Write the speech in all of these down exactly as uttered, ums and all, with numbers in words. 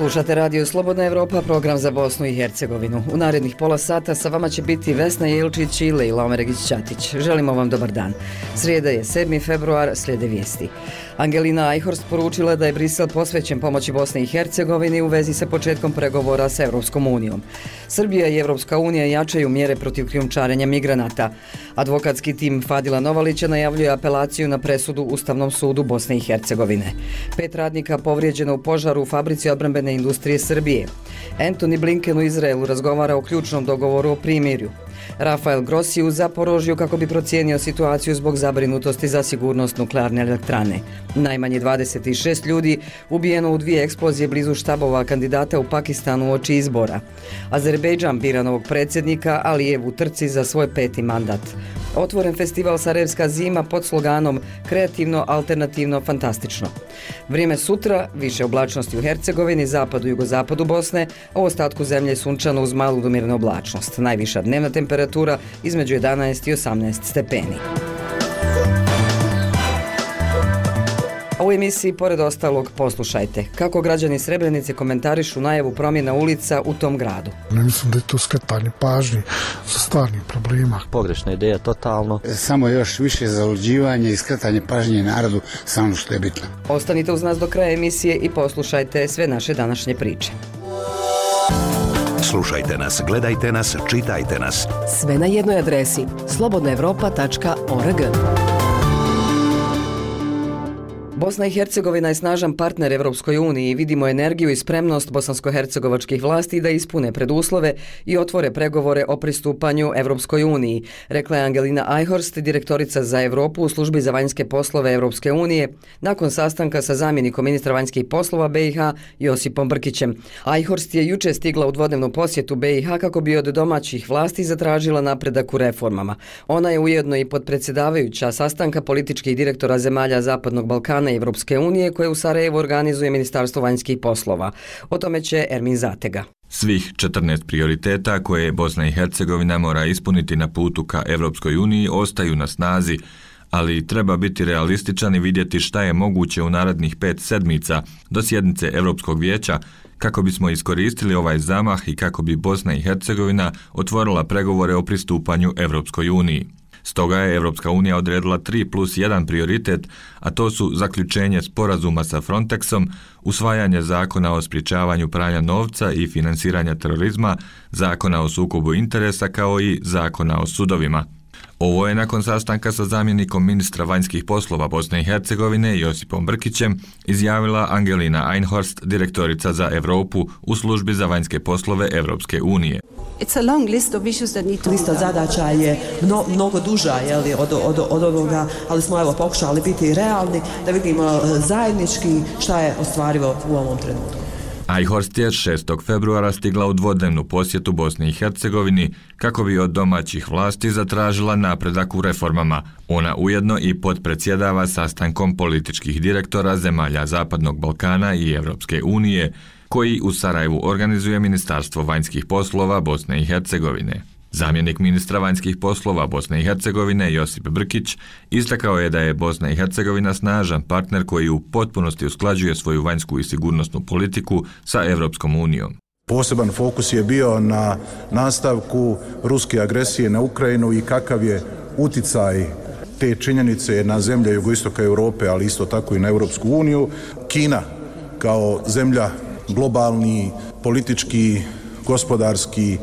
Slušate Radio Slobodna Evropa, program za Bosnu i Hercegovinu. U narednih pola sata sa vama će biti Vesna Jelčić i Lejla Omeregić-Ćatić. Želimo vam dobar dan. Srijeda je sedmi februar, slijede vijesti. Angelina Eichhorst poručila da je Brisel posvećen pomoći Bosni i Hercegovini u vezi sa početkom pregovora sa Evropskom unijom. Srbija i Evropska unija jačaju mjere protiv krijumčarenja migranata. Advokatski tim Fadila Novalića najavljuje apelaciju na presudu Ustavnom sudu Bosne i Hercegovine. Pet radnika povrijeđeno u požaru u fabrici odbrambene industrije Srbije. Anthony Blinken u Izraelu razgovara o ključnom dogovoru o primirju. Rafael Grossi u Zaporožju kako bi procijenio situaciju zbog zabrinutosti za sigurnost nuklearne elektrane. Najmanje dvadeset šest ljudi ubijeno u dvije eksplozije blizu štabova kandidata u Pakistanu uoči izbora. Azerbejdžan bira novog predsjednika Alijev u trci za svoj peti mandat. Otvoren festival Sarajevska zima pod sloganom Kreativno, alternativno, fantastično. Vrijeme sutra, više oblačnosti u Hercegovini, zapadu i jugozapadu Bosne, a u ostatku zemlje sunčano uz malu do umjerenu oblačnost. Najviša dnevna temperatura između jedanaest i osamnaest stepeni. A u emisiji, pored ostalog, poslušajte kako građani Srebrenice komentarišu najavu promjena ulica u tom gradu. Ne mislim da je to skretanje pažnje sa stvarnih problema. Pogrešna ideja, totalno. Samo još više zaluđivanje i skretanje pažnje narodu, samo što je bitno. Ostanite uz nas do kraja emisije i poslušajte sve naše današnje priče. Slušajte nas, gledajte nas, čitajte nas. Sve na jednoj adresi slobodna evropa tačka org. Bosna i Hercegovina je snažan partner Evropskoj uniji i vidimo energiju i spremnost bosansko-hercegovačkih vlasti da ispune preduslove i otvore pregovore o pristupanju Evropskoj uniji, rekla je Angelina Eichhorst, direktorica za Evropu u službi za vanjske poslove Evropske unije, nakon sastanka sa zamjenikom ministra vanjskih poslova B i H Josipom Brkićem. Eichhorst je juče stigla u dvodnevnu posjetu B i H kako bi od domaćih vlasti zatražila napredak u reformama. Ona je ujedno i podpredsjedavajuća sastanka političkih direktora zemalja Zapadnog Balkana Evropske unije koje u Sarajevu organizuje Ministarstvo vanjskih poslova. O tome će Ermin Zatega. Svih četrnaest prioriteta koje Bosna i Hercegovina mora ispuniti na putu ka Evropskoj uniji ostaju na snazi, ali treba biti realističan i vidjeti šta je moguće u narednih pet sedmica do sjednice Evropskog vijeća kako bismo iskoristili ovaj zamah i kako bi Bosna i Hercegovina otvorila pregovore o pristupanju Evropskoj uniji. Stoga je Evropska unija odredila tri plus jedan prioritet, a to su zaključenje sporazuma sa Frontexom, usvajanje zakona o sprječavanju pranja novca i finansiranja terorizma, zakona o sukobu interesa kao i zakona o sudovima. Ovo je nakon sastanka sa zamjenikom ministra vanjskih poslova Bosne i Hercegovine Josipom Brkićem izjavila Angelina Eichhorst, direktorica za Europu u službi za vanjske poslove Evropske unije. Lista zadaća je mno, mnogo duža jeli, od, od, od onoga, ali smo evo pokušali biti realni da vidimo zajednički šta je ostvarivo u ovom trenutku. Eichhorst je šestog februara stigla u dvodnevnu posjetu Bosni i Hercegovini kako bi od domaćih vlasti zatražila napredak u reformama. Ona ujedno i podpredsjedava sastankom političkih direktora zemalja Zapadnog Balkana i Evropske unije, koji u Sarajevu organizuje Ministarstvo vanjskih poslova Bosne i Hercegovine. Zamjenik ministra vanjskih poslova Bosne i Hercegovine Josip Brkić istakao je da je Bosna i Hercegovina snažan partner koji u potpunosti usklađuje svoju vanjsku i sigurnosnu politiku sa Evropskom unijom. Poseban fokus je bio na nastavku ruske agresije na Ukrajinu i kakav je uticaj te činjenice na zemlje jugoistoka Europe, ali isto tako i na Evropsku uniju. Kina kao zemlja globalni, politički, gospodarski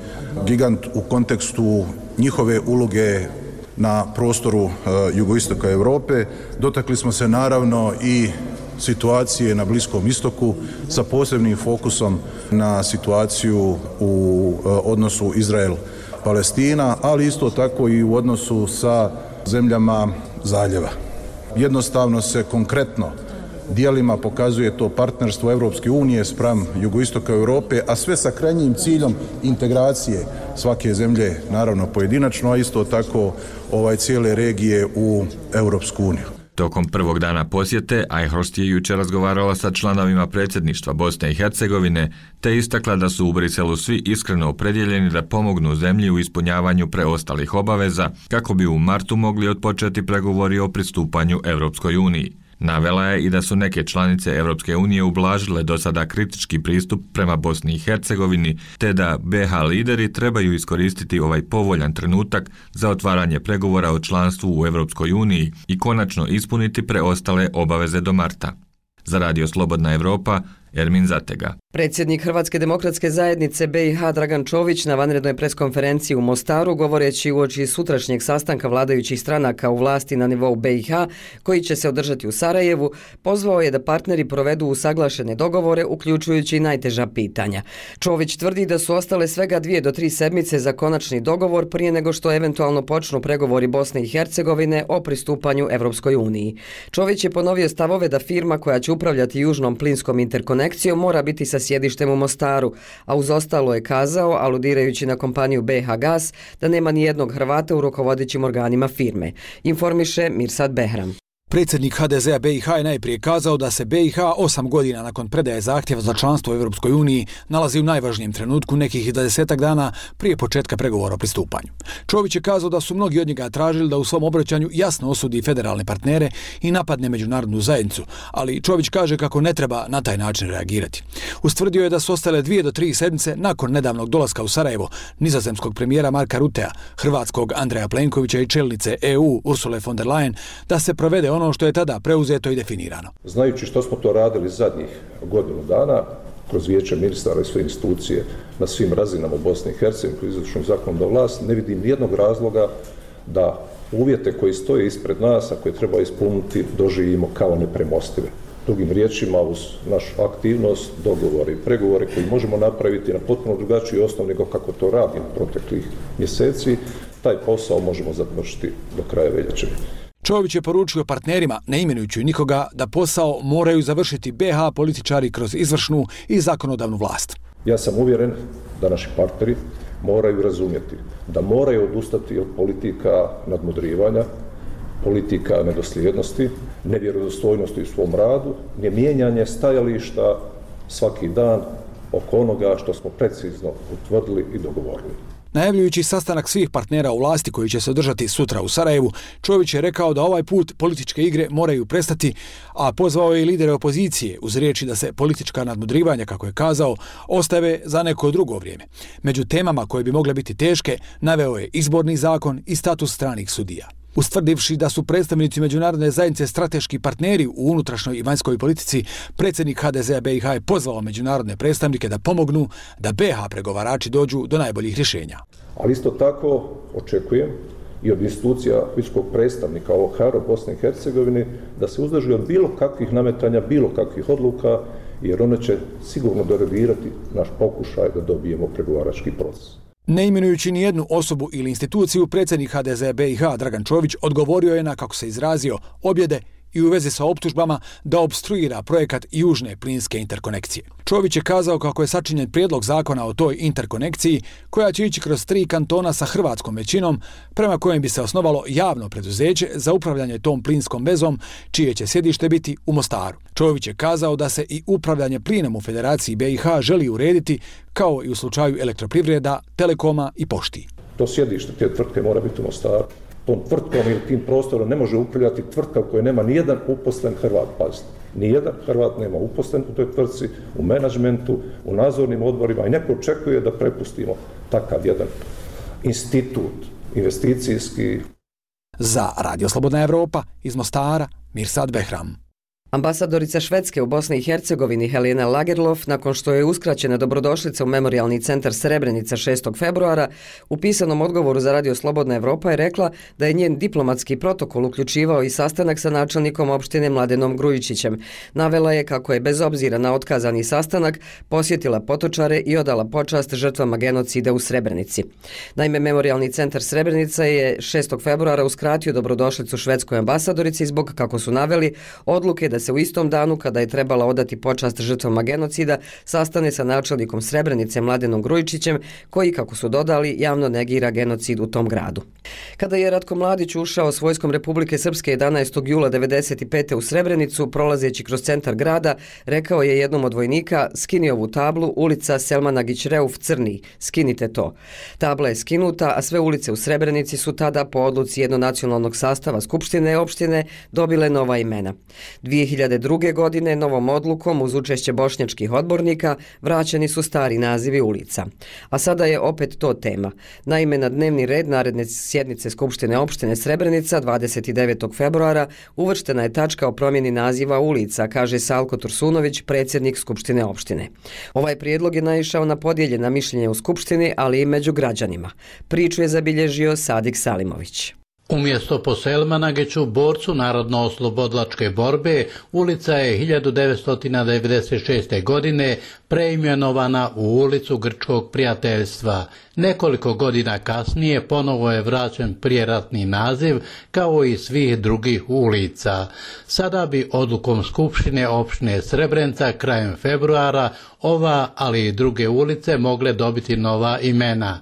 gigant u kontekstu njihove uloge na prostoru uh, jugoistoka Europe. Dotakli smo se naravno i situacije na Bliskom istoku sa posebnim fokusom na situaciju u uh, odnosu Izrael-Palestina, ali isto tako i u odnosu sa zemljama zaljeva. Jednostavno se konkretno dijelima pokazuje to partnerstvo Evropske unije spram jugoistoka Europe, a sve sa krajnjim ciljom integracije svake zemlje, naravno pojedinačno, a isto tako ovaj cijele regije u Evropsku uniju. Tokom prvog dana posjete, Eichhorst je jučer razgovarala sa članovima predsjedništva Bosne i Hercegovine, te istakla da su u Briselu svi iskreno opredjeljeni da pomognu zemlji u ispunjavanju preostalih obaveza, kako bi u martu mogli otpočeti pregovori o pristupanju Evropskoj uniji. Navela je i da su neke članice Europske unije ublažile do sada kritički pristup prema Bosni i Hercegovini, te da be ha lideri trebaju iskoristiti ovaj povoljan trenutak za otvaranje pregovora o članstvu u Europskoj uniji i konačno ispuniti preostale obaveze do marta. Za Radio Slobodna Evropa, Ermin Zatega. Predsjednik Hrvatske demokratske zajednice be i ha Dragan Čović na vanrednoj preskonferenciji u Mostaru, govoreći uoči sutrašnjeg sastanka vladajućih stranaka u vlasti na nivou be i ha, koji će se održati u Sarajevu, pozvao je da partneri provedu usaglašene dogovore, uključujući i najteža pitanja. Čović tvrdi da su ostale svega dvije do tri sedmice za konačni dogovor prije nego što eventualno počnu pregovori Bosne i Hercegovine o pristupanju Evropskoj uniji. Čović je ponovio stavove da firma koja će upravljati južnom plinskom interkonekcijom mora biti sa sjedištem u Mostaru, a uz ostalo je kazao, aludirajući na kompaniju be ha Gas, da nema ni jednog Hrvata u rukovodećim organima firme. Informiše Mirsad Behram. Predsjednik ha de zea be i ha je najprije kazao da se be i ha osam godina nakon predaje zahtjeva za članstvo u Europskoj uniji nalazi u najvažnijem trenutku nekih dvadesetak dana prije početka pregovora o pristupanju. Čović je kazao da su mnogi od njega tražili da u svom obraćanju jasno osudi federalne partnere i napadne međunarodnu zajednicu, ali Čović kaže kako ne treba na taj način reagirati. Ustvrdio je da su ostale dvije do tri sedmice nakon nedavnog dolaska u Sarajevo nizozemskog premijera Marka Rutea, hrvatskog Andreja Plenkovića i čelnice e u Ursule von der Leyen da se provede ono što je tada preuzeto i definirano. Znajući što smo to radili zadnjih godinu dana, kroz vijeće ministara i sve institucije na svim razinama u Bosni i Hercegovini, kroz izvršnu zakonodavnu vlast, ne vidim nijednog razloga da uvjete koji stoje ispred nas, a koje treba ispuniti, doživimo kao nepremostive. Drugim riječima, uz našu aktivnost, dogovore i pregovore koji možemo napraviti na potpuno drugačiji osnov nego kako to radimo proteklih mjeseci, taj posao možemo završiti do kraja veljače. Čović je poručio partnerima, ne imenujući nikoga, da posao moraju završiti be ha političari kroz izvršnu i zakonodavnu vlast. Ja sam uvjeren da naši partneri moraju razumjeti da moraju odustati od politika nadmudrivanja, politika nedosljednosti, nevjerodostojnosti u svom radu, ne mijenjanje stajališta svaki dan oko onoga što smo precizno utvrdili i dogovorili. Najavljujući sastanak svih partnera u vlasti koji će se održati sutra u Sarajevu, Čović je rekao da ovaj put političke igre moraju prestati, a pozvao je i lidere opozicije uz riječi da se politička nadmudrivanja, kako je kazao, ostave za neko drugo vrijeme. Među temama koje bi mogle biti teške, naveo je izborni zakon i status stranih sudija. Ustvrdivši da su predstavnici međunarodne zajednice strateški partneri u unutrašnjoj i vanjskoj politici, predsjednik ha de zea be i ha je pozvao međunarodne predstavnike da pomognu da be ha pregovarači dođu do najboljih rješenja. Ali isto tako očekujem i od institucija visokog predstavnika o ha er u Bosni i Hercegovini da se uzdrži od bilo kakvih nametanja, bilo kakvih odluka, jer one će sigurno derodirati naš pokušaj da dobijemo pregovarački proces. Ne imenujući ni jednu osobu ili instituciju, predsjednik ha de zea be i ha Dragan Čović odgovorio je na, kako se izrazio, objede i u vezi sa optužbama da opstruira projekat južne plinske interkonekcije. Čović je kazao kako je sačinjen prijedlog zakona o toj interkonekciji koja će ići kroz tri kantona sa hrvatskom većinom, prema kojem bi se osnovalo javno preduzeće za upravljanje tom plinskom vezom, čije će sjedište biti u Mostaru. Čović je kazao da se i upravljanje plinom u Federaciji be i ha želi urediti, kao i u slučaju elektroprivreda, telekoma i pošti. To sjedište te tvrtke mora biti u Mostaru. Tom tvrtkom ili tim prostorom ne može upravljati tvrtka u kojoj nema nijedan uposlen Hrvat, pazite. Nijedan Hrvat nema uposlen u toj tvrtci, u menadžmentu, u nadzornim odborima i neko očekuje da prepustimo takav jedan institut investicijski. Za Radio Slobodna Evropa iz Mostara, Mirsad Behram. Ambasadorica Švedske u Bosni i Hercegovini Helena Lagerlof, nakon što je uskraćena dobrodošlica u Memorijalni centar Srebrenica šestog februara, u pisanom odgovoru za Radio Slobodna Evropa je rekla da je njen diplomatski protokol uključivao i sastanak sa načelnikom opštine Mladenom Grujičićem. Navela je kako je bez obzira na otkazani sastanak posjetila Potočare i odala počast žrtvama genocida u Srebrenici. Naime, Memorijalni centar Srebrenica je šestog februara uskratio dobrodošlicu švedskoj ambasadorici zbog, kako su naveli, odluke da da se u istom danu, kada je trebala odati počast žrtvama genocida, sastane sa načelnikom Srebrenice Mladenom Grujičićem, koji, kako su dodali, javno negira genocid u tom gradu. Kada je Ratko Mladić ušao s vojskom Republike Srpske jedanaestog jula devedeset pete u Srebrenicu, prolazeći kroz centar grada, rekao je jednom od vojnika: skini ovu tablu, ulica Selman Agić Reuf Crni, skinite to. Tabla je skinuta, a sve ulice u Srebrenici su tada po odluci jednonacionalnog sastava Skupštine opštine dobile nova imena. dvije hiljade druge. godine novom odlukom uz učešće bošnjačkih odbornika vraćeni su stari nazivi ulica. A sada je opet to tema. Naime, na dnevni red naredne sjednice Skupštine opštine Srebrenica dvadeset devetog februara uvrštena je tačka o promjeni naziva ulica, kaže Salko Tursunović, predsjednik Skupštine opštine. Ovaj prijedlog je naišao na podijeljena mišljenja u Skupštini, ali i među građanima. Priču je zabilježio Sadik Salimović. Umjesto po Selmanagiću, borcu narodno-oslobodlačke borbe, ulica je hiljadu devetsto devedeset šeste. godine preimenovana u ulicu Grčkog prijateljstva. Nekoliko godina kasnije ponovo je vraćen prijeratni naziv, kao i svih drugih ulica. Sada bi odlukom Skupštine opštine Srebrenica krajem februara ova, ali i druge ulice mogle dobiti nova imena.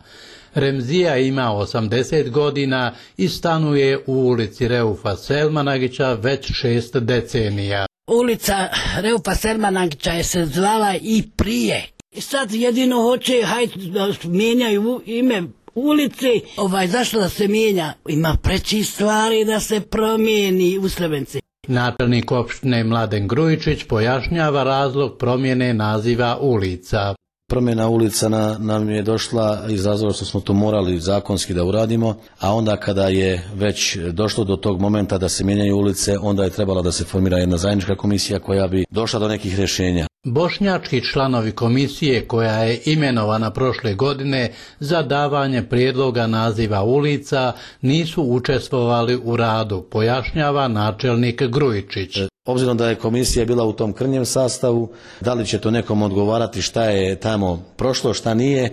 Remzija ima osamdeset godina i stanuje u ulici Reufa Selmanagića već šest decenija. Ulica Reufa Selmanagića je se zvala i prije. Sad jedino hoće, hajde da mijenjaju ime ulice. Ovaj, zašto da se mijenja? Ima preći stvari da se promijeni u Srebrenici. Načelnik opštine Mladen Grujičić pojašnjava razlog promjene naziva ulica. Promjena ulica na, nam je došla iz razloga što smo to morali zakonski da uradimo, a onda kada je već došlo do tog momenta da se mijenjaju ulice, onda je trebala da se formira jedna zajednička komisija koja bi došla do nekih rješenja. Bošnjački članovi komisije koja je imenovana prošle godine za davanje prijedloga naziva ulica nisu učestvovali u radu, pojašnjava načelnik Grujičić. Obzirom da je komisija bila u tom krnjem sastavu, da li će to nekom odgovarati šta je tamo prošlo, šta nije,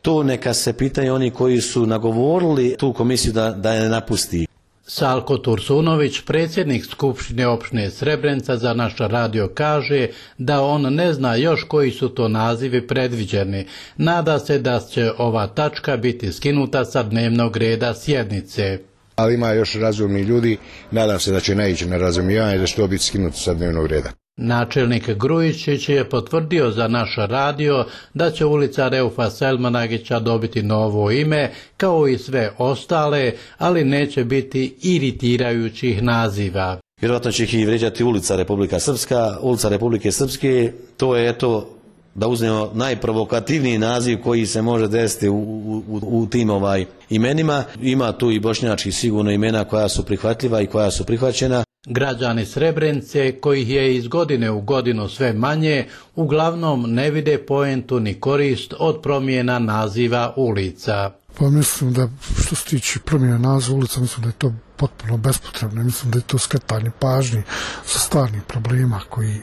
to neka se pitaju oni koji su nagovorili tu komisiju da, da je napusti. Salko Tursunović, predsjednik Skupštine opštine Srebrenica, za naš radio kaže da on ne zna još koji su to nazivi predviđeni. Nada se da će ova tačka biti skinuta sa dnevnog reda sjednice. Ali ima još razumni ljudi, nadam se da će naići na razumijevanje da će to biti skinuto sa dnevnog reda. Načelnik Grujičić je potvrdio za naš radio da će ulica Reufa Selmanagića dobiti novo ime, kao i sve ostale, ali neće biti iritirajućih naziva. Vjerojatno će ih i vrijeđati ulica Republika Srpska, ulica Republike Srpske, to je eto da uzmemo najprovokativniji naziv koji se može desiti u, u, u tim ovaj imenima. Ima tu i bošnjački sigurno imena koja su prihvatljiva i koja su prihvaćena. Građani Srebrenice, kojih je iz godine u godinu sve manje, uglavnom ne vide poentu ni korist od promjena naziva ulica. Pa mislim da što se tiče promjene naziva ulica, mislim da je to potpuno bespotrebno. Mislim da je to skretanje pažnje sa stvarnih problema koji,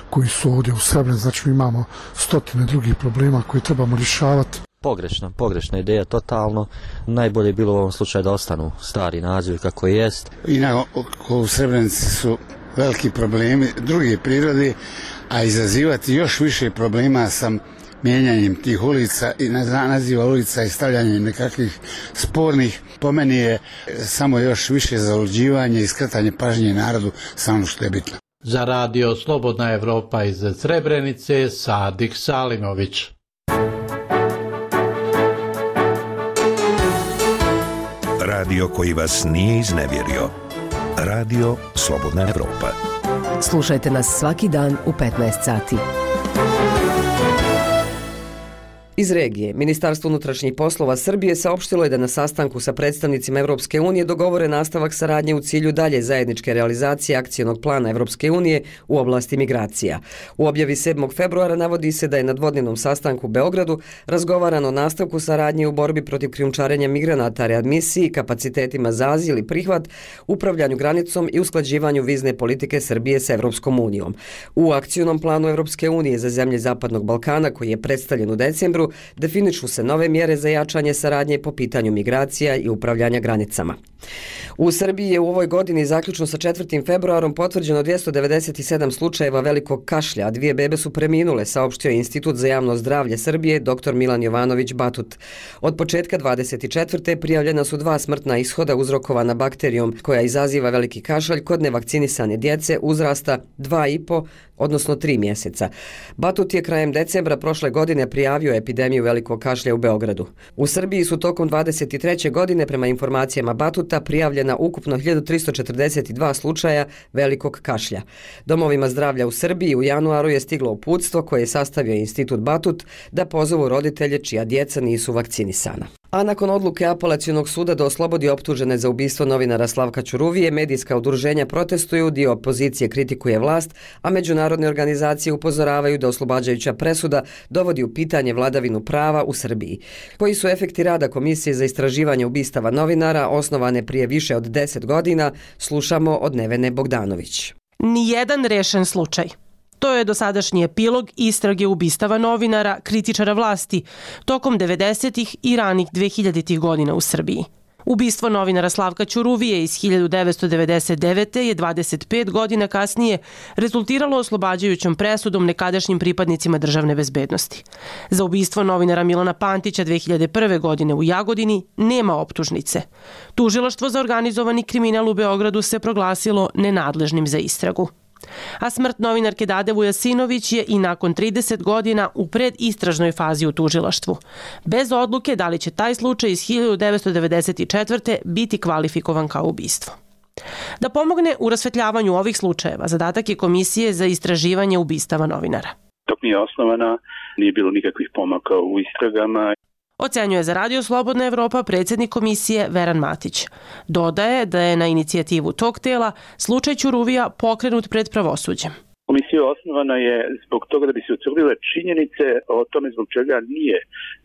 koji su ovdje u Srebrenici. Znači mi imamo stotine drugih problema koje trebamo rješavati. Pogrešna, pogrešna ideja totalno. Najbolje je bilo u ovom slučaju da ostanu stari nazivi kako jest. Inako u Srebrenici su veliki problemi druge prirode, a izazivati još više problema sam mijenjanjem tih ulica i naziva ulica i stavljanjem nekakvih spornih, po meni je samo još više zaluđivanje i skretanje pažnje narodu samo što je bitno. Za radio Slobodna Evropa iz Srebrenice, Sadik Salimović. Radio koji vas nije iznevjerio. Radio Slobodna Evropa. Slušajte nas svaki dan u petnaest sati. Iz regije, Ministarstvo unutrašnjih poslova Srbije saopštilo je da na sastanku sa predstavnicima Evropske unije dogovore nastavak saradnje u cilju dalje zajedničke realizacije akcionog plana Evropske unije u oblasti migracija. U objavi sedmog februara navodi se da je na dvodnevnom sastanku u Beogradu razgovarano o nastavku saradnje u borbi protiv krijumčarenja migranata, readmisiji, kapacitetima za azil i prihvat, upravljanju granicom i usklađivanju vizne politike Srbije sa Evropskom unijom. U akcionom planu Evropske unije za zemlje Zapadnog Balkana, koji je predstavljen u decembru, definišu se nove mjere za jačanje saradnje po pitanju migracija i upravljanja granicama. U Srbiji je u ovoj godini zaključno sa četvrtim februarom potvrđeno dvjesto devedeset sedam slučajeva velikog kašlja, a dvije bebe su preminule, saopštio je Institut za javno zdravlje Srbije dr Milan Jovanović Batut. Od početka dvadeset četvrte prijavljena su dva smrtna ishoda uzrokovana bakterijom koja izaziva veliki kašalj kod nevakcinisane djece uzrasta dva i po odnosno tri mjeseca. Batut je krajem decembra prošle godine prijavio epidemiju velikog kašlja u Beogradu. U Srbiji su tokom dvadeset treće godine prema informacijama Batuta prijavljena ukupno hiljadu tristo četrdeset dva slučaja velikog kašlja. Domovima zdravlja u Srbiji u januaru je stiglo uputstvo koje je sastavio Institut Batut da pozovu roditelje čija djeca nisu vakcinisana. A nakon odluke Apelacionog suda da oslobodi optužene za ubistvo novinara Slavka Ćuruvije, medijska udruženja protestuju, dio opozicije kritikuje vlast, a međunarodne organizacije upozoravaju da oslobađajuća presuda dovodi u pitanje vladavinu prava u Srbiji. Koji su efekti rada Komisije za istraživanje ubistava novinara, osnovane prije više od deset godina, slušamo od Nevene Bogdanović. Nijedan rešen slučaj. To je dosadašnji epilog istrage ubistava novinara, kritičara vlasti, tokom devedesetih i ranih dvehiljaditih godina u Srbiji. Ubistvo novinara Slavka Ćuruvije iz hiljadu devetsto devedeset devete. je dvadeset pet godina kasnije rezultiralo oslobađajućom presudom nekadašnjim pripadnicima državne bezbednosti. Za ubistvo novinara Milana Pantića dve hiljade prve. godine u Jagodini nema optužnice. Tužilaštvo za organizovani kriminal u Beogradu se proglasilo nenadležnim za istragu. A smrt novinarke Dade Vujasinović je i nakon trideset godina u predistražnoj fazi u tužilaštvu. Bez odluke da li će taj slučaj iz hiljadu devetsto devedeset četvrte. biti kvalifikovan kao ubistvo. Da pomogne u rasvetljavanju ovih slučajeva, zadatak je Komisije za istraživanje ubistava novinara. Dok nije osnovana, nije bilo nikakvih pomaka u istragama. Ocenjuje za Radio Slobodna Evropa predsjednik komisije Veran Matić. Dodaje da je na inicijativu tog tela slučaj Ćuruvija pokrenut pred pravosuđem. Komisija osnovana je zbog toga da bi se utvrdile činjenice o tome zbog čega nije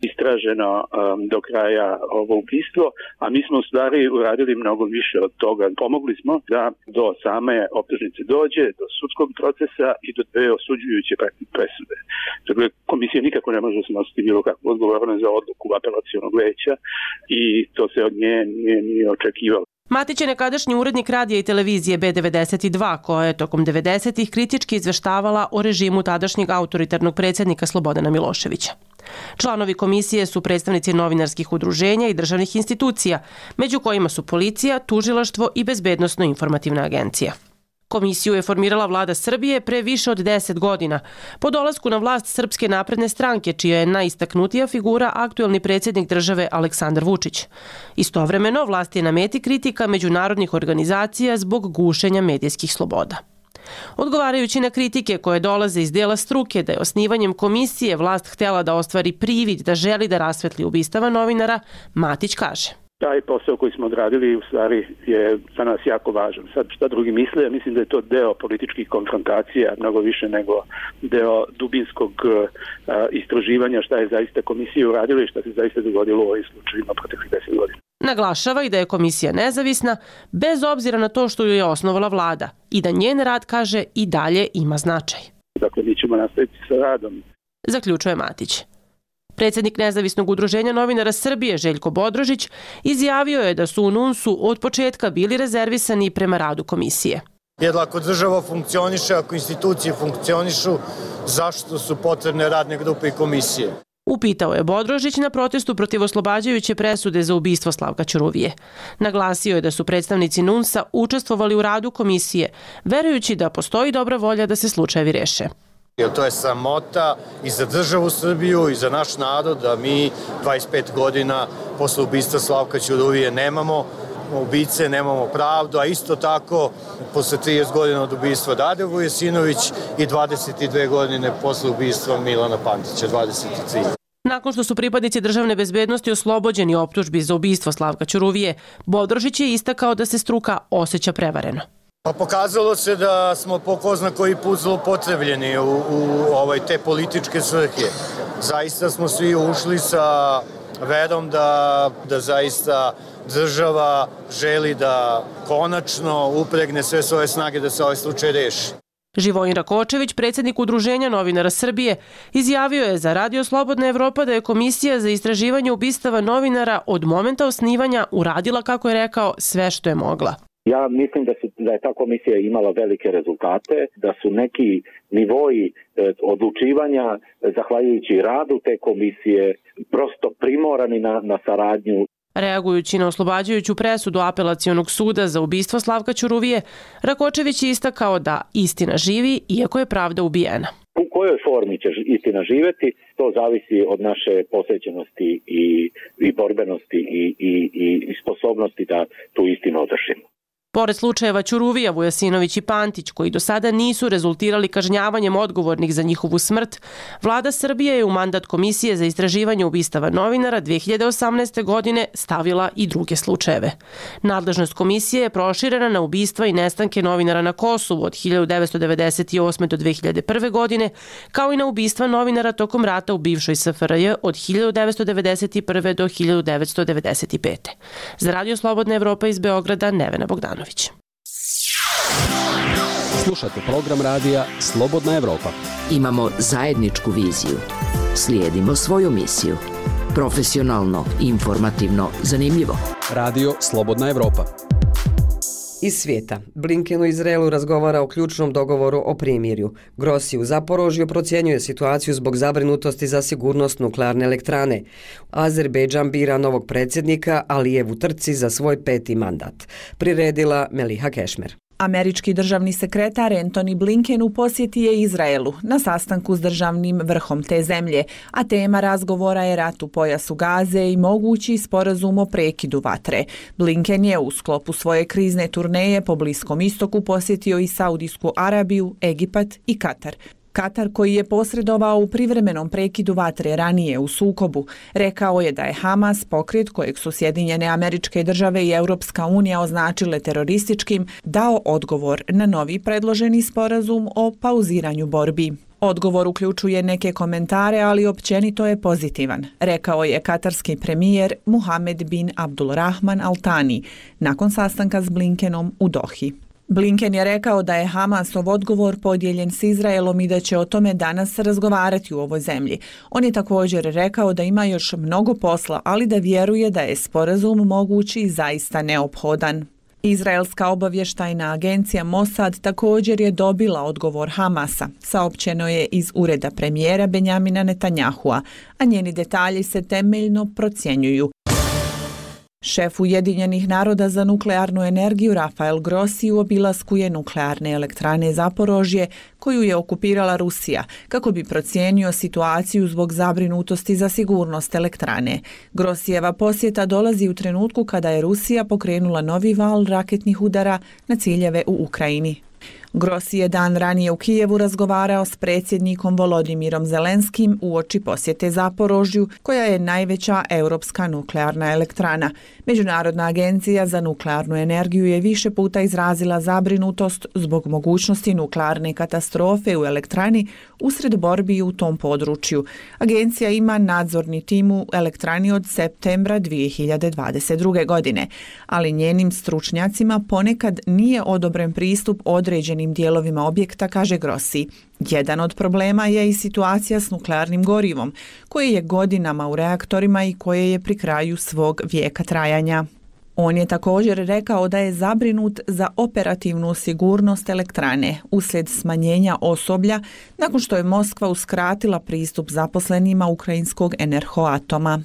istraženo um, do kraja ovo ubistvo, a mi smo u stvari uradili mnogo više od toga. Pomogli smo da do same optužnice dođe, do sudskog procesa i do dve osuđujuće presude. Dakle, komisija nikako ne može snositi bilo kakvu odgovornost za odluku apelacionog veća i to se od nje nije, nije očekivalo. Matić je nekadašnji urednik radija i televizije B devedeset dva, koja je tokom devedesetih kritički izveštavala o režimu tadašnjeg autoritarnog predsjednika Slobodana Miloševića. Članovi komisije su predstavnici novinarskih udruženja i državnih institucija, među kojima su policija, tužilaštvo i bezbednosno-informativna agencija. Komisiju je formirala vlada Srbije pre više od deset godina, po dolasku na vlast Srpske napredne stranke, čija je najistaknutija figura aktuelni predsjednik države Aleksandar Vučić. Istovremeno, vlast je na meti kritika međunarodnih organizacija zbog gušenja medijskih sloboda. Odgovarajući na kritike koje dolaze iz dela struke da je osnivanjem komisije vlast htjela da ostvari privid da želi da rasvetli ubistava novinara, Matić kaže. Taj posao koji smo odradili u stvari je za nas jako važan. Sad šta drugi misle, mislim da je to deo političkih konfrontacija, mnogo više nego deo dubinskog uh, istraživanja šta je zaista komisija uradila i šta se zaista dogodilo u ovim slučajima proteklih deset godina. Naglašava i da je komisija nezavisna, bez obzira na to što ju je osnovala vlada i da njen rad, kaže, i dalje ima značaj. Dakle, mi ćemo nastaviti sa radom. Zaključuje Matić. Predsjednik Nezavisnog udruženja novinara Srbije Željko Bodrožić izjavio je da su u NUNS-u od početka bili rezervisani prema radu komisije. Jer ako država funkcioniše, ako institucije funkcionišu, zašto su potrebne radne grupe i komisije? Upitao je Bodrožić na protestu protiv oslobađajuće presude za ubistvo Slavka Ćuruvije. Naglasio je da su predstavnici NUNS-a učestvovali u radu komisije, verujući da postoji dobra volja da se slučajevi reše. Jer to je sramota i za državu Srbiju i za naš narod da mi dvadeset pet godina posle ubistva Slavka Ćuruvije nemamo ubice, nemamo pravdu, a isto tako posle trideset godina od ubistva Dade Vujasinović i dvadeset dve godine posle ubistva Milana Pantića, dvadeset tri. Nakon što su pripadnici državne bezbednosti oslobođeni optužbi za ubistvo Slavka Ćuruvije, Bodrožić je istakao da se struka osjeća prevareno. Pa pokazalo se da smo po ko zna koji put zloupotrebljeni u, u ovaj, te političke svrhe. Zaista smo svi ušli sa verom da, da zaista država želi da konačno upregne sve svoje snage da se ovaj slučaj reši. Živojin Rakočević, predsjednik Udruženja novinara Srbije, izjavio je za Radio Slobodna Evropa da je Komisija za istraživanje ubistava novinara od momenta osnivanja uradila, kako je rekao, sve što je mogla. Ja mislim da, su, da je ta komisija imala velike rezultate, da su neki nivoji e, odlučivanja, e, zahvaljujući radu te komisije, prosto primorani na, na saradnju. Reagujući na oslobađajuću presudu Apelacionog suda za ubistvo Slavka Ćuruvije, Rakočević je istakao da istina živi, iako je pravda ubijena. U kojoj formi će istina živjeti, to zavisi od naše posvećenosti i, i borbenosti i, i, i sposobnosti da tu istinu održimo. Pored slučajeva Ćuruvija, Vujasinović i Pantić, koji do sada nisu rezultirali kažnjavanjem odgovornih za njihovu smrt, Vlada Srbije je u mandat Komisije za istraživanje ubistava novinara dve hiljade osamnaeste. godine stavila i druge slučajeve. Nadležnost komisije je proširena na ubistva i nestanke novinara na Kosovu od hiljadu devetsto devedeset osme. do dve hiljade prve. godine, kao i na ubistva novinara tokom rata u bivšoj S F R J od hiljadu devetsto devedeset prve. do hiljadu devetsto devedeset pete. Za Radio Slobodna Evropa iz Beograda, Nevena Bogdanović. Slušate program radija Slobodna Evropa. Imamo zajedničku viziju. Slijedimo svoju misiju. Profesionalno, informativno, zanimljivo. Radio Slobodna Evropa. Iz svijeta. Blinken u Izraelu razgovara o ključnom dogovoru o primirju. Grossi u Zaporožju procjenjuje situaciju zbog zabrinutosti za sigurnost nuklearne elektrane. Azerbejdžan bira novog predsjednika Alijev u trci za svoj peti mandat. Priredila Meliha Kešmer. Američki državni sekretar Antony Blinken u posjeti je Izraelu na sastanku s državnim vrhom te zemlje, a tema razgovora je rat u pojasu Gaze i mogući sporazum o prekidu vatre. Blinken je u sklopu svoje krizne turneje po Bliskom istoku posjetio i Saudijsku Arabiju, Egipat i Katar. Katar, koji je posredovao u privremenom prekidu vatre ranije u sukobu, rekao je da je Hamas, pokret kojeg su Sjedinjene Američke Države i Europska unija označile terorističkim, dao odgovor na novi predloženi sporazum o pauziranju borbi. Odgovor uključuje neke komentare, ali općenito je pozitivan, rekao je katarski premijer Muhammed bin Abdulrahman Al Thani nakon sastanka s Blinkenom u Dohi. Blinken je rekao da je Hamasov odgovor podijeljen s Izraelom i da će o tome danas razgovarati u ovoj zemlji. On je također rekao da ima još mnogo posla, ali da vjeruje da je sporazum mogući i zaista neophodan. Izraelska obavještajna agencija Mossad također je dobila odgovor Hamasa, saopćeno je iz ureda premijera Benjamina Netanyahua, a njeni detalji se temeljno procjenjuju. Šef Ujedinjenih naroda za nuklearnu energiju Rafael Grossi u obilasku je nuklearne elektrane Zaporožje, koju je okupirala Rusija, kako bi procijenio situaciju zbog zabrinutosti za sigurnost elektrane. Grossijeva posjeta dolazi u trenutku kada je Rusija pokrenula novi val raketnih udara na ciljeve u Ukrajini. Grossi je dan ranije u Kijevu razgovarao s predsjednikom Volodimirom Zelenskim uoči posjete Zaporožju, koja je najveća europska nuklearna elektrana. Međunarodna agencija za nuklearnu energiju je više puta izrazila zabrinutost zbog mogućnosti nuklearne katastrofe u elektrani usred borbi u tom području. Agencija ima nadzorni tim u elektrani od septembra dvije hiljade dvadeset druge. godine, ali njenim stručnjacima ponekad nije odobren pristup određenim dijelovima objekta, kaže Grossi. Jedan od problema je i situacija s nuklearnim gorivom, koje je godinama u reaktorima i koje je pri kraju svog vijeka trajanja. On je također rekao da je zabrinut za operativnu sigurnost elektrane uslijed smanjenja osoblja nakon što je Moskva uskratila pristup zaposlenima ukrajinskog Enerhoatoma.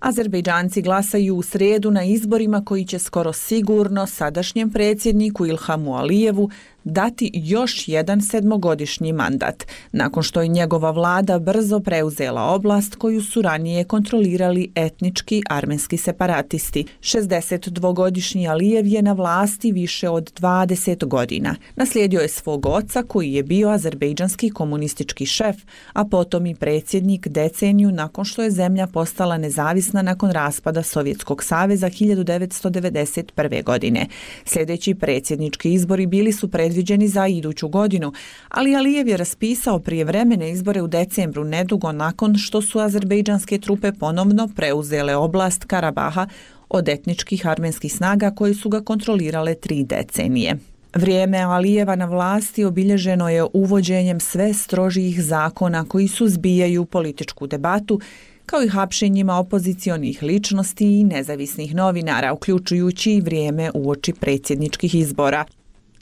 Azerbejdžanci glasaju u srijedu na izborima koji će skoro sigurno sadašnjem predsjedniku Ilhamu Alijevu dati još jedan sedmogodišnji mandat, nakon što je njegova vlada brzo preuzela oblast koju su ranije kontrolirali etnički armenski separatisti. šezdesetdvogodišnji Alijev je na vlasti više od dvadeset godina. Naslijedio je svog oca koji je bio azerbejdžanski komunistički šef, a potom i predsjednik deceniju nakon što je zemlja postala nezavisna nakon raspada Sovjetskog saveza hiljadu devetsto devedeset prve. godine. Sljedeći predsjednički izbori bili su predviđeni za iduću godinu, ali Alijev je raspisao prijevremene izbore u decembru nedugo nakon što su azerbejdžanske trupe ponovno preuzele oblast Karabaha od etničkih armenskih snaga koji su ga kontrolirale tri decenije. Vrijeme Alijeva na vlasti obilježeno je uvođenjem sve strožijih zakona koji suzbijaju političku debatu, kao i hapšenjima opozicionih ličnosti i nezavisnih novinara, uključujući i vrijeme uoči predsjedničkih izbora.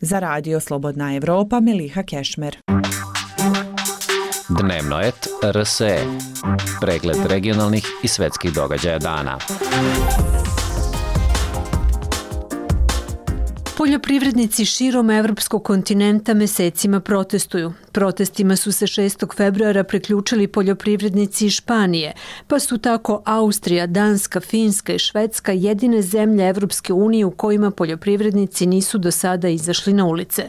Za Radio Slobodna Evropa, Meliha Kešmer. Dnevno et R S E. Pregled regionalnih i svetskih događaja dana. Poljoprivrednici širom evropskog kontinenta mesecima protestuju. Protestima su se šestog februara priključili poljoprivrednici iz Španije, pa su tako Austrija, Danska, Finska i Švedska jedine zemlje Evropske unije u kojima poljoprivrednici nisu do sada izašli na ulice.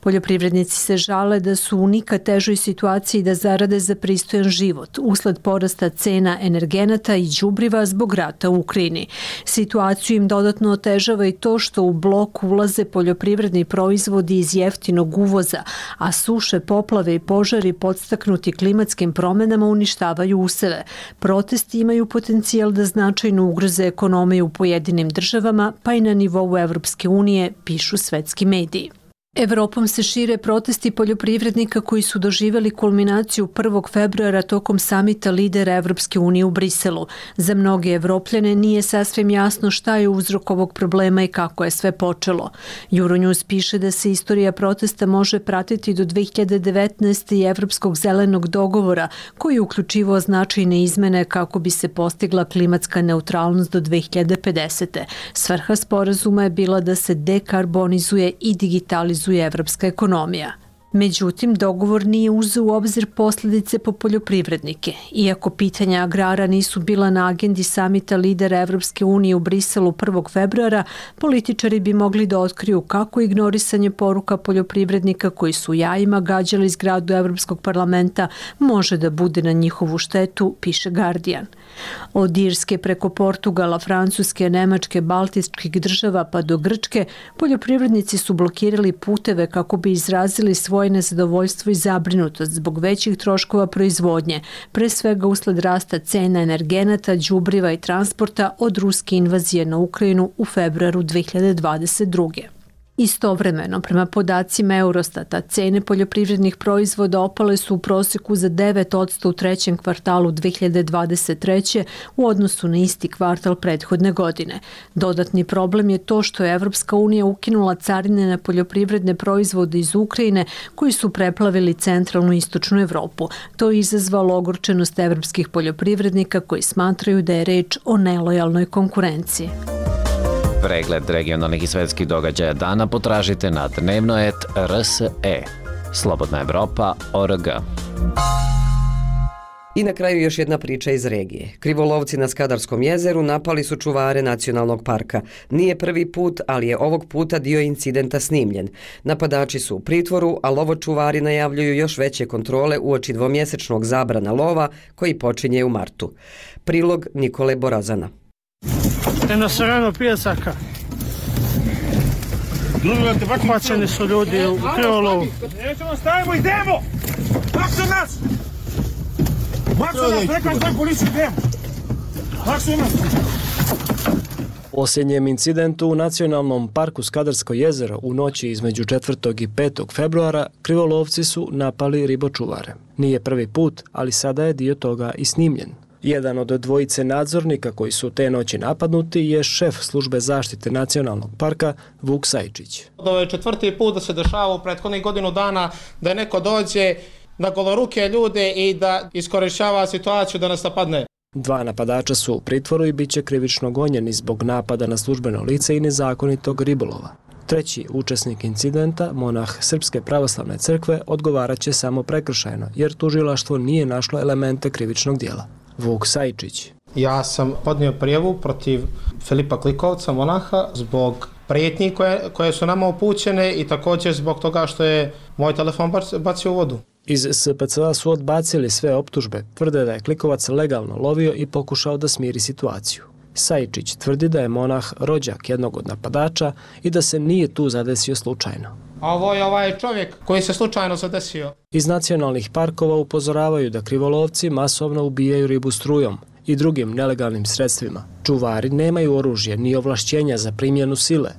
Poljoprivrednici se žale da su u nikad težoj situaciji da zarade za pristojan život usled porasta cena energenata i đubriva zbog rata u Ukrajini. Situaciju im dodatno otežava i to što u blok ulaze poljoprivredni proizvodi iz jeftinog uvoza, a suše, poplave i požari podstaknuti klimatskim promenama uništavaju useve. Protesti imaju potencijal da značajno ugroze ekonomiju u pojedinim državama, pa i na nivou Evropske unije, pišu svetski mediji. Evropom se šire protesti poljoprivrednika koji su doživjeli kulminaciju prvog februara tokom samita lidera Evropske unije u Briselu. Za mnoge Evropljane nije sasvim jasno šta je uzrok ovog problema i kako je sve počelo. Euronews piše da se istorija protesta može pratiti do dve hiljade devetnaeste. i Evropskog zelenog dogovora, koji je uključivao značajne izmene kako bi se postigla klimatska neutralnost do dve hiljade pedesete. Svrha sporazuma je bila da se dekarbonizuje i digitalizuje evropska ekonomija. Međutim, dogovor nije uzeo u obzir posljedice po poljoprivrednike. Iako pitanja agrara nisu bila na agendi samita lidera Evropske unije u Briselu prvog februara, političari bi mogli da otkriju kako ignorisanje poruka poljoprivrednika koji su jajima gađali zgradu Evropskog parlamenta može da bude na njihovu štetu, piše Guardian. Od Irske preko Portugala, Francuske, Nemačke, Baltičkih država pa do Grčke, poljoprivrednici su blokirali puteve kako bi izrazili svoje nezadovoljstvo i zabrinutost zbog većih troškova proizvodnje, pre svega usled rasta cena energenata, đubriva i transporta od ruske invazije na Ukrajinu u februaru dve hiljade dvadeset druge. Istovremeno, prema podacima Eurostata, cene poljoprivrednih proizvoda opale su u prosjeku za devet posto u trećem kvartalu dve hiljade dvadeset treće. u odnosu na isti kvartal prethodne godine. Dodatni problem je to što je Evropska unija ukinula carine na poljoprivredne proizvode iz Ukrajine koji su preplavili centralnu i istočnu Evropu. To je izazvalo ogorčenost evropskih poljoprivrednika koji smatraju da je reč o nelojalnoj konkurenciji. Pregled regionalnih i svetskih događaja dana potražite na dnevno et R S E. Slobodna Evropa, O R G. I na kraju još jedna priča iz regije. Krivolovci na Skadarskom jezeru napali su čuvare nacionalnog parka. Nije prvi put, ali je ovog puta dio incidenta snimljen. Napadači su u pritvoru, a lovočuvari najavljuju još veće kontrole uoči dvomjesečnog zabrana lova koji počinje u martu. Prilog Nikole Borazana. Na Sarano pjesaka. Hvaćeni su ljudi u krivolovu. Nećemo stavimo, idemo! Maksu nas! Maksu nas, rekao je policiju, idemo! Maksu nas! Posljednjem incidentu u Nacionalnom parku Skadarsko jezero u noći između četvrtog i petog februara krivolovci su napali ribočuvare. Nije prvi put, ali sada je dio toga i snimljen. Jedan od dvojice nadzornika koji su te noći napadnuti je šef službe zaštite nacionalnog parka Vuk Sajčić. Ovo je četvrti put da se dešava u prethodnih godinu dana da neko dođe na goloruke ljude i da iskorišćava situaciju da nas napadne. Dva napadača su u pritvoru i bit će krivično gonjeni zbog napada na službeno lice i nezakonitog ribolova. Treći učesnik incidenta, monah Srpske pravoslavne crkve, odgovarat će samo prekršajno, jer tužilaštvo nije našlo elemente krivičnog dijela. Vuk Sajčić. Ja sam podnio prijavu protiv Filipa Klikovca, monaha, zbog prijetnji koje, koje su nama upućene i također zbog toga što je moj telefon bacio u vodu. Iz S P C A su odbacili sve optužbe, tvrde da je Klikovac legalno lovio i pokušao da smiri situaciju. Sajčić tvrdi da je monah rođak jednog od napadača i da se nije tu zadesio slučajno. A ovo je ovaj čovjek koji se slučajno zadesio. Iz nacionalnih parkova upozoravaju da krivolovci masovno ubijaju ribu strujom i drugim nelegalnim sredstvima. Čuvari nemaju oružje ni ovlašćenja za primjenu sile.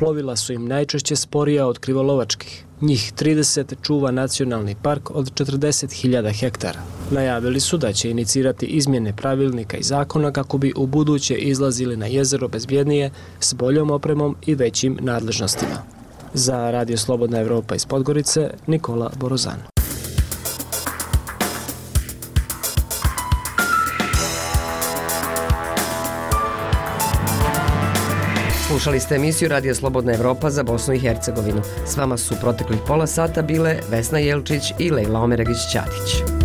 Plovila su im najčešće sporija od krivolovačkih. Njih trideset čuva nacionalni park od četrdeset hiljada hektara. Najavili su da će inicirati izmjene pravilnika i zakona kako bi u buduće izlazili na jezero bezbjednije, s boljom opremom i većim nadležnostima. Za Radio Slobodna Evropa iz Podgorice, Nikola Borozan. Slušali ste emisiju Radio Slobodna Evropa za Bosnu i Hercegovinu. S vama su proteklih pola sata bile Vesna Jelčić i Lejla Omeragić-Ćatić.